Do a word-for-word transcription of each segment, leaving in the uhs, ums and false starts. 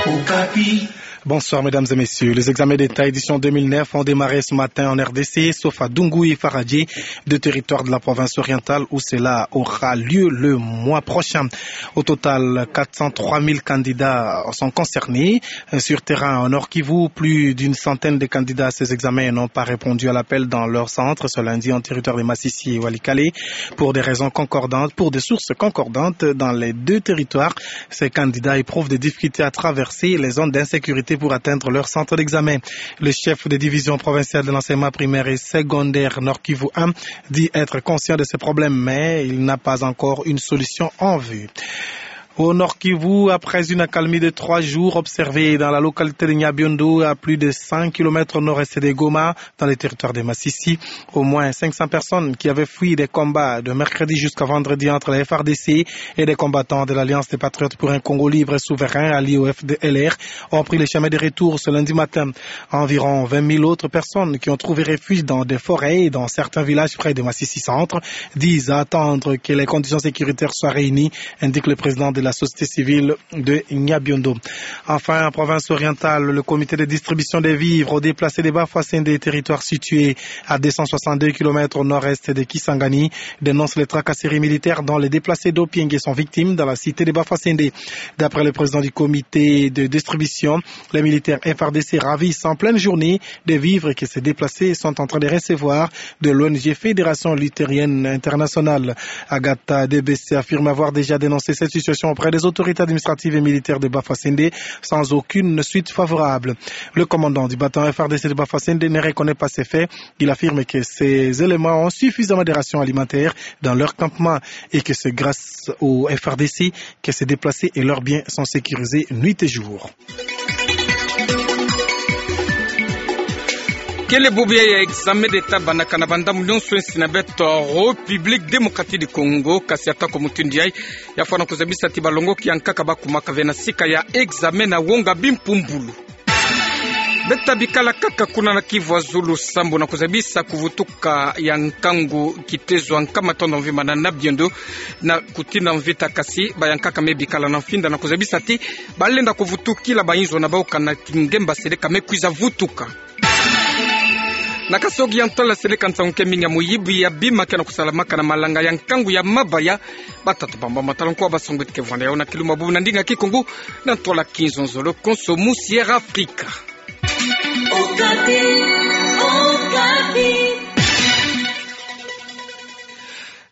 Okapi. Bonsoir, mesdames et messieurs. Les examens d'État édition deux mille neuf ont démarré ce matin en R D C, sauf à Dungu et Faradje, deux territoires de la province orientale où cela aura lieu le mois prochain. Au total, quatre cent trois mille candidats sont concernés. Sur terrain, au Nord-Kivu, plus d'une centaine de candidats à ces examens n'ont pas répondu à l'appel dans leur centre ce lundi en territoire de Masisi et Walikale pour des raisons concordantes, pour des sources concordantes dans les deux territoires. Ces candidats éprouvent des difficultés à traverser les zones d'insécurité pour atteindre leur centre d'examen. Le chef de division provinciale de l'enseignement primaire et secondaire Nord-Kivu un dit être conscient de ces problèmes, mais il n'a pas encore une solution en vue. Au Nord-Kivu, après une accalmie de trois jours observée dans la localité de Nyabiondo, à plus de cent kilomètres au nord-est de Goma, dans le territoire de Masisi, au moins cinq cents personnes qui avaient fui des combats de mercredi jusqu'à vendredi entre la F R D C et des combattants de l'Alliance des Patriotes pour un Congo libre et souverain, alliés au F D L R, ont pris le chemin de retour ce lundi matin. Environ vingt mille autres personnes qui ont trouvé refuge dans des forêts et dans certains villages près de Masisi Centre disent attendre que les conditions sécuritaires soient réunies, indique le président de la société civile de Nyabiondo. Enfin, en province orientale, le comité de distribution des vivres aux déplacés de Bafoussende, territoire situé à deux cent soixante-deux kilomètres au nord-est de Kisangani, dénonce les tracasseries militaires dont les déplacés d'Opienge sont victimes dans la cité de Bafoussende. D'après le président du comité de distribution, les militaires F R D C ravissent en pleine journée des vivres que ces déplacés sont en train de recevoir de l'O N G Fédération Luthérienne Internationale. Agatha Debesse affirme avoir déjà dénoncé cette situation auprès des autorités administratives et militaires de Bafoussende sans aucune suite favorable. Le commandant du bataillon F R D C de Bafoussende ne reconnaît pas ces faits. Il affirme que ces éléments ont suffisamment de rations alimentaires dans leur campement et que c'est grâce au F R D C que ces déplacés et leurs biens sont sécurisés nuit et jour. Kele bubu ya examen d'État bandaka na bandambu nyonso ensi na beto République Démocratique du Congo, kasi atako mutindu yai, ya fwana kuzabisa ti balongoki ya nkaka bakumaka ve na sika ya examen na wonga bimpumbulu. Beta bikala kaka kuna na Kivu Azulu sambu na kuzabisa kuvutuka ya nkangu kitezo ya nkama tondo mvimba na Nyabiondo na kutina mvita, kasi bayankaka me bikala na mfinda na kuzabisa ti balenda kuvutukila bayinzo na bau kana kingemba seleka me kwiza vutuka. Na Kasaï Oriental seleka nsangu ke mingi ya moyibi ya bima ke na kusalamaka na malanga ya nkangu ya mabaya. Batata bamba matalonko wa basongwiti ke vwanda yau na kilumbu bubu na ndinga Kikongo na ntwala kinzonzolo konso mu Sierra Africa. Okapi, Okapi.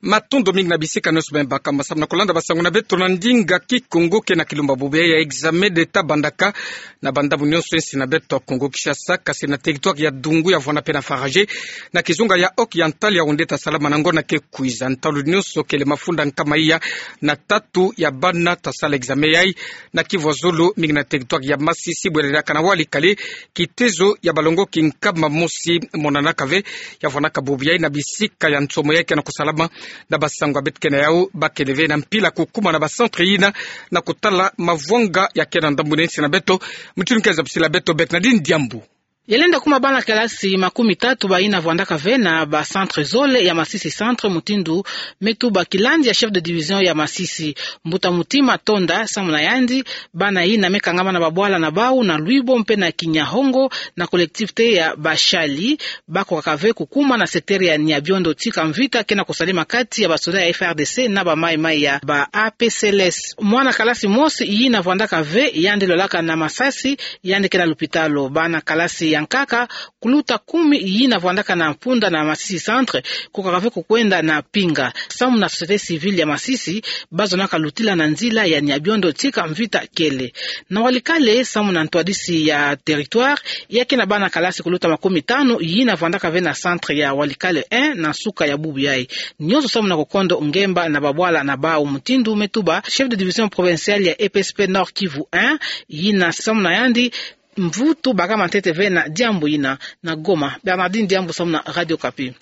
Matondo mingi na bisika nyonso beno bakamba samu na kulanda basango na beto na ndinga Kikongo. Ke na kilumbu bubu ya examen d'État bandaka na bandambu nyonso ensi na beto Kongo Kinshasa, kasi na territoire ya Dungu ya vwanda pe na Faradje, na kizunga ya Oriental ya wonde ta salama na ngonda ke kwiza. Ntalu nyonso kele mafunda nkama iya na tatu ya bana ta sala examen yai na Kivu Azulu, mingi na territoire ya Masisi, bwelelaka na Walikale, kitezo ya balongoki nkama mosi monanaka ve. Ya vwandaka bubu yai na bisika ya nsomo yai ke na kusalama, na basango ya beto ke na yau, bakele ve na mpila kukuma na ba centre yina na kutala mavwanga ya ke na ndambu nsi na beto. Mutindu ke zabisila beto Bernardine Diambu. Ya lenda kuma bana kalasi makumi tatu bayina vwandaka ve na ba centre zole ya Masisi Centre, mutindu me tuba kilandi ya chef de division ya Masisi. Mbuta Mutima Tonda, samu na yandi, bana yina me kangama na babwala na bau na Lwibo mpe na Kinyahongo na collectivité ya Bashali, bakokaka ve kukuma na secteur ya Nyabiondo tika mvita ke na kusalema kati ya basoda ya F R D C na ba Mai Mai ya ba A P C L S. Mwana kalasi mosi yina vwandaka ve, yandi lolaka na masasi, yandi ke na lupitalu. Bana kalasi ya nkaka kuluta kumi yina vwandaka na mpunda na Masisi Centre, kokaka ve kukwenda na pinga. Samu na société civile ya Masisi, bazonaka lutila na nzila ya Nyabiondo tika mvita kele. Na Walikale, samu na ntwadisi ya territoire, ya ke na bana kalasi kuluta makumi tanu yina vwandaka ve na centre ya Walikale un na nsuka ya bubu yai. Nyonso samu na kukondo ngemba na babwala na bau, mutindu me tuba chef de division provinciale ya E P S P Nord Kivu un, yina samu na yandi mvutu bakama ntete ve na diambu yina. Na Goma, Bernardine Diambu samu na Radio Okapi.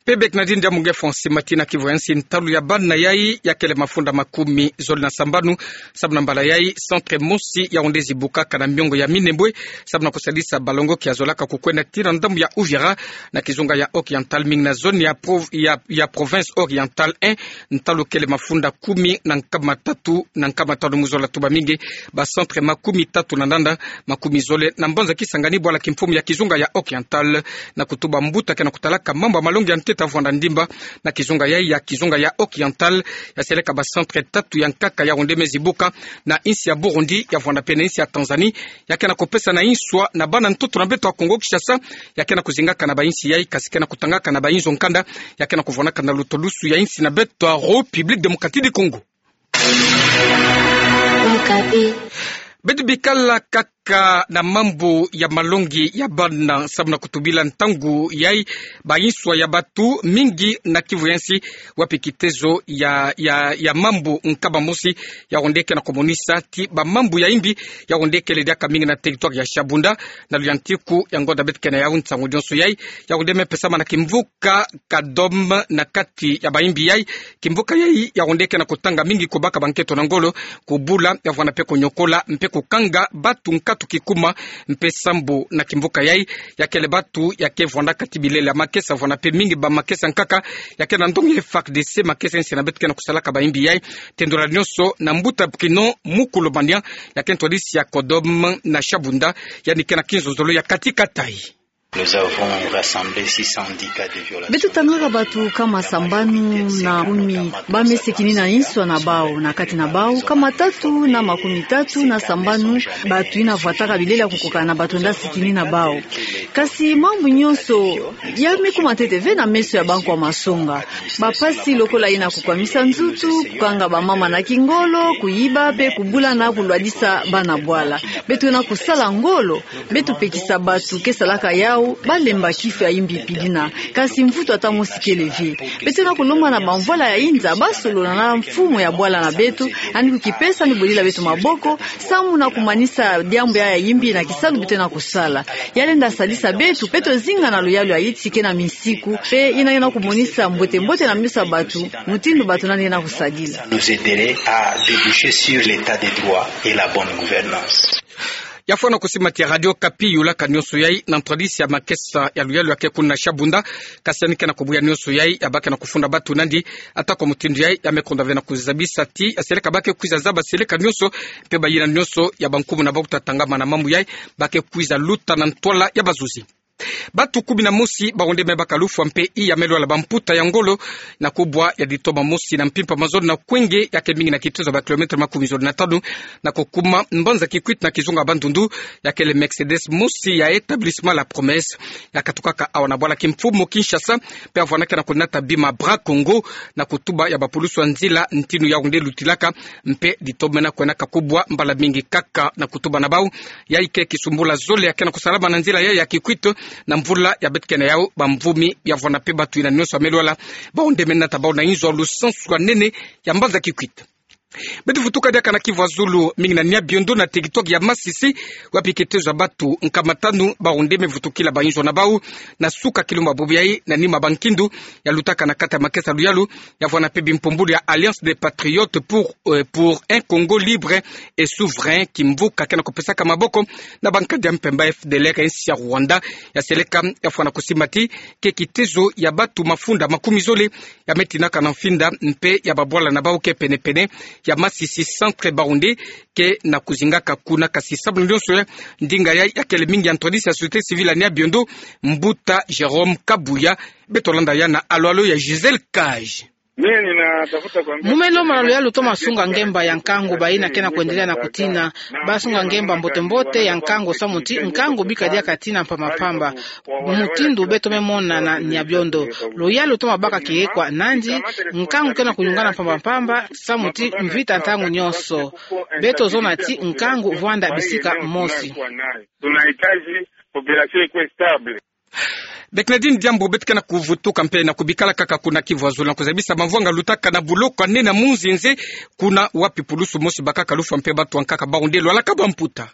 Pe Bernardine Diambu nge Francis Matina, kivwa ya nsi ntalu ya bana yai yakele mafunda makumi zole na sambanu. Samu na mbala yai, centre mosi ya wende zibukaka na miongo ya Minembwe, samu na kusadisa balongoki ya zolaka kukwenda tii na ndambu ya Uvira, na kizunga ya Oriental, mingi na zone ya prov-, ya, ya province Oriental un, ntalu kele mafunda kumi na nkama tatu na nkama tanu mu zola tuba mingi, ba centre makumi tatu na nanda, makumi zole na mbanza Kisangani, bwala kimfumu ya kizunga ya Oriental, na kutuba mbuta ke na kutalaka mambu ya malongi ya ntete ya vwanda ndimba na kizunga yai, ya kizunga ya Oriental, ya seleka ba centre tatu ya nkaka ya wende me zibuka, na insi ya Burundi, ya vwanda pe na insi ya Tanzanie, ya ke na kupesa na inswa na bana ntoto na beto ya Kongo Kinshasa, ya ke na kuzingaka na ba insi yai, kasi ke na kutangaka na ba inzo nkanda, ya ke na kuvwanaka na lutulusu ya insi na beto ya République Démocratique du Congo. Okapi. Beto bikala kaka na mambu ya malongi ya bana, samu na kutubila ntangu yai, ba inswa ya batu mingi na kivwa ya nsi, wapi kitezo ya, ya, ya mambu nkama mosi ya wende ke na kumonisa ti ba mambu ya imbi ya wende kele diaka mingi na territoire ya Shabunda, na luyantiku ya ngonda beto ke na yau nsangu nyonso yai, ya wende me pesama na kimvuka Kadom na kati ya ba imbi yai. Kimvuka yai ya wende ke na kutanga mingi, kubaka ba nketo na ngolo, kubula, ya vwanda pe kunyokola mpe kukanga batu nkatu kikuma mpe sambu na kimvuka yai. Ya kele batu ya ke vwandaka ti bilele ya makesa, vwanda pe mingi ba makesa nkaka, ya ke na ndongi ya F A R D C, makesa ya nsi na beto ke na kusalaka ba imbi yai. Tendula nyonso na mbuta Bruno Mukulumania, ya ke ntwadisi ya Kodom na Shabunda, yandi ke na kinzonzolo ya kati katayi. Nous avons rassemblé six cent dix cas de violation. Beto tangaka batu nkama sambanu na kumi, ba me sikini na inswa na bau, na kati na bau, nkama tatu na makumi tatu na sambanu, batu ina vwataka bilele ya kukoka na batu ina sikini na bau. Kasi mambu nyonso ya me kuma ntete ve na meso ya bankwa masonga. Ba mpasi lokola ina kukwamisa nzutu, kukanga ba mama na kingolo, kuyiba, pe kubula na kulwadisa bana bwala. Beto na kusala ngolo, beto pekisa batu ke salaka yau, ba lemba kifu ya imbi pidina. Kasi mvutu ata mosi kele ve. Beto na kulomba na ba mvwala ya inza, ba solola na mfumu ya bwala na beto, yandi kukipesa yandi bwelila beto maboko, samu na kumanisa diambu ya, ya imbi na kisalu beto na kusala. Ya lenda sadisa beto, beto zinga na luyalu ya insi ke na misiku, pe ina, ina kumonisa mbote-mbote na meso ya batu, mutindu batu nani ina kusadila. Nous aiderait à déboucher sur l'état de droit et la bonne gouvernance. Ya fwana kusimati ya Radio Okapi, yulaka nyonso yai na ntwadisi ya makesa ya luyalu ya ke kuna Shabunda, kasi yandi ke na kubuya nyonso yai, ya baka na kufunda batu nandi, ata kwa mutindu yai, ya me konda ve na kuzabisa ti, ya seleka ba ke kwiza zaba seleka nyonso, mpe bayina nyonso ya bankumu na bau ta tangama na mambu yai, ba ke kwiza luta na ntwala ya bazuzi. Batu kumi na mosi ba wende me baka lufwa mpe iya me lwala ba mputa ya ngolo na kubwa ya ditoma mosi na mpimpa mazono na Kwenge, ya ke mingi na kitezo ya ba kilomètre makumi zole na tanu, na kukuma mbanza Kikwit na kizunga Bandundu, ya kele Mercedes mosi ya établissement La Promesse, ya katukaka awa na bwala kimfumu Kinshasa, mpe ya vwanaka na kunata bima Bras Congo, na kutuba ya bapulusu ya nzila ntinu ya wende lutilaka, mpe ditoma na kwenaka kubwa mbala mingi kaka na kutuba na bau. Yai ke kisumbula zole ya ke na kusalama na nzila yai ya Kikwit na mvula ya beto ke na yau, ba mvumi ya vwanda mpe batu ina nyonso ya me lwala, ba wende me nata bau na inzo ya lusansu ya nene ya mbanza Kikwit. Beto vutuka diaka na kivu ya zulu, mingi na Nyabiondo na territoire ya Masisi, wapi kitezo ya batu nkama tanu ba wende me vutukila ba inzo na bau, na suka kilumbu bubu yai, na nima ba nkindu ya lutaka na kati ya makesa luyalu, ya vwanda mpe bimpumbulu ya Alliance des Patriotes pour, euh, pour un Congo libre et souverain, kimvuka ke na kupesaka maboko na bankadi ya mpemba F D L R ya nsi ya Rwanda, ya seleka, ya fwana kusimati ke kitezo ya batu mafunda makumi zole ya me tinaka na mfinda, mpe ya babwala na bau ke pene-pene ya Masisi centre ba wende ke na kuzingaka kuna, kasi samu na nyonso yai, ndinga yai ya kele mingi ya ntwadisi ya société civile ya Nyabiondo, mbuta Jérôme Kabuya, beto landa yai na alo-alo ya Gisèle Cage. Mu me lomba na luyalu toma sunga ngemba ya nkangu bayina ke na kwendelea na kutina, ba sunga ngemba mbote-mbote ya nkangu samu ti nkangu bika diaka tina mpamba-mpamba. Mutindu beto me mona na Nyabiondo, luyalu toma baka kiekwa nandi, nkangu ke na kuyungana mpamba-mpamba, samu ti mvita ntangu nyonso. Beto zona ti nkangu vwanda bisika mosi. Tunahitaji population ikuwe stable. Bernardine Diambu, beto ke na kuvutuka mpe na kubikala kaka kuna kivu ya zulu na kuzabisa mavwanga lutaka na buloko ya nene ya Munzenze, kuna wapi pulusu mosi bakaka lufwa mpe batu ya nkaka ba wende lwalaka ba mputa.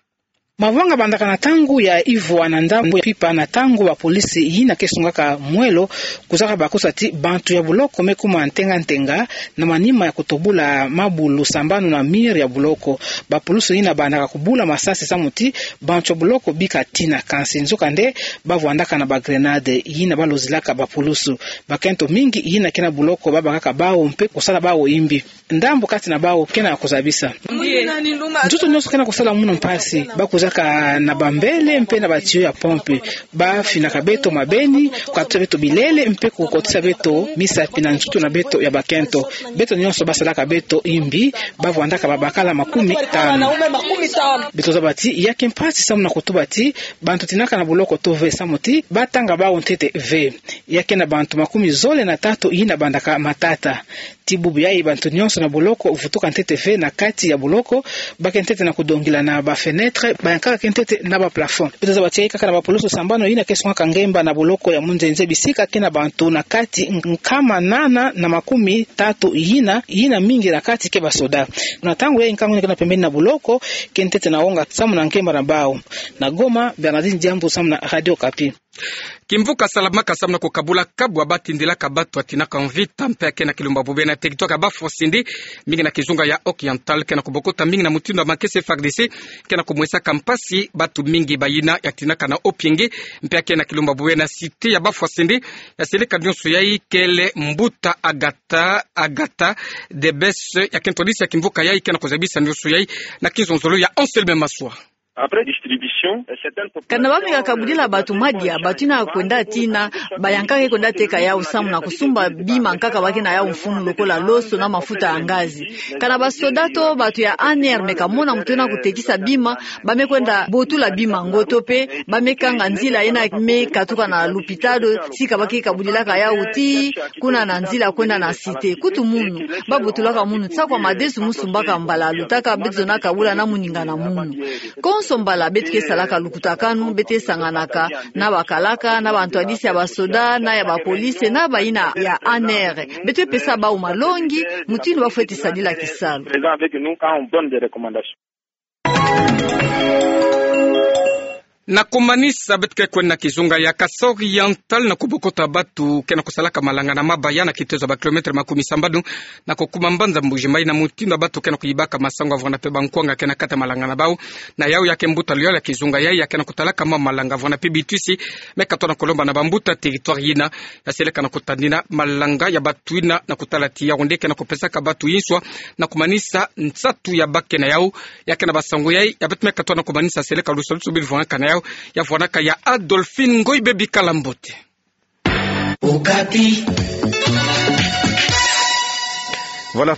Mavanga bandaka na ntangu ya ivwa na ndambu ya pipa na ntangu bapolisi yina ke sungaka mwelo kuzaka bakusa ti bantu ya boloko me kuma ntenga-ntenga na manima ya kutobula mabulu sambanu na mur ya boloko. Bapolisi yina bandaka kubula masasi samu ti bantu ya boloko bika tina, kansi nzokande bavwandaka na bagrenade yina balozilaka bapolisi. Bakento mingi yina ke na boloko babakaka bawu mpe kusala bawu imbi. Ndambu kati na bawu ke na kuzabisa. Nzoto nyonso ke na kusala munu mpasi. Bakuzaka na bambele mpe na batiyo ya pompe. Bafinaka beto mabeni, kukatusa beto bilele mpe kukotisa beto misapi na nzoto na beto ya bakento. Beto nyonso basalaka beto imbi, bavwandaka babakala makumi tanu. Beto zaba ti ya ke mpasi samu na kutuba ti bantu tinaka na boloko to ve, samu ti batanga bawu ntete ve. Ya ke na bantu makumi zole na tatu yina bandaka matata. Ti bubu yayi bantu nyonso na boloko vutuka ntete ve na kati ya boloko, ba ke ntete na kudongila na bafenêtre, bayankaka ke ntete na baplafond. Beto zaba ti yayi kaka na bapolisi sambanu yina ke sungaka ngemba na boloko ya Munzenze, bisika ke na bantu na kati nkama nana na makumi tatu yina, yina mingi na kati ke basoda. Na ntangu yayi nkangu yina ke na pembeni na boloko ke ntete na onga samu na ngemba na bawu. Na Goma, Bernardine Diambu samu na Radio Okapi. Kimvuka salamaka samu na kukabula kabu ya batindilaka batu ya tinaka mvita mpe ya ke na kilumbu ya Bubena, territoire ya Bafwasende, mingi na kizunga ya Oriental, ke na kubokota mingi na mutindu ya makesa ya F A R D C, ke na kumwesaka mpasi batu mingi. Bayina ya tinaka na Opienge mpe ya ke na kilumbu ya Bubena, cité ya Bafwasende, ya seleka nyonso yayi kele mbuta Agatha, Agatha Debesse, ya kento disi ya kimvuka yayi ke na kuzabisa nyonso yayi na kizonzolo ya Anselme Maswa. Après distribution, euh, certaines populations, kana bameka kabudila batu madia, batu yina kwenda tina, bayankaka kwenda teka yawu samu na kusumba bima nkaka ba ke na yawu mfunu lokola loso na mafuta ya ngazi. Kana basoda to batu ya A N R me kamona muntu yina kutekisa bima, ba me kwenda botula bima ngoto mpe ba me kanga nzila yina me katuka na lupitalu, sika ba ke kabudilaka yawu tii kuna na nzila kwenda na cité. Kutu munu, ba botulaka munu tia kwa madesu mu sumbaka mbala lutaka, beto zona kabula na moninga na munu. Konso mbala beto ke salaka lukutakanu, beto ke sanganaka na bakalaka, na bantwadisi ya basoda, na ya bapolisi, na bayina ya A N R. Beto ke pesa bawu malongi mutindu ba fweti sadila kisalu. Présent avec nous quand on donne des recommandations. Na kumanisa, beto ke kwenda na kizunga ya Kasai Oriental na kubokota batu ke na kusalaka malanga na mabaya na kitezo ya ba kilomètre makumi sambanu na kukuma mbanza Mbuji-Mayi, na mutindu ya batu ke na kuyibaka masangu ya vwanda mpe bankwanga ke na kati ya malanga na bawu. Na yawu ya ke mbuta luyalo ya kizunga yayi ya ke na kutalaka mambu ya malanga ya vwanda mpe bitwisi me katwa na kulomba na bambuta territoire yina, ya seleka na kutadina malanga ya batu yina na kutala ti yawu nde ke na kupesaka batu inswa na kumanisa nsatu ya ba ke na yawu. Ya ke na basangu yayi ya beto me katwa na kumanisa seleka lusalusu bi vwandaka na yawu, ya vwandaka ya Adolphine Ngoy. Bebi kala mbote. Okapi. Voilà,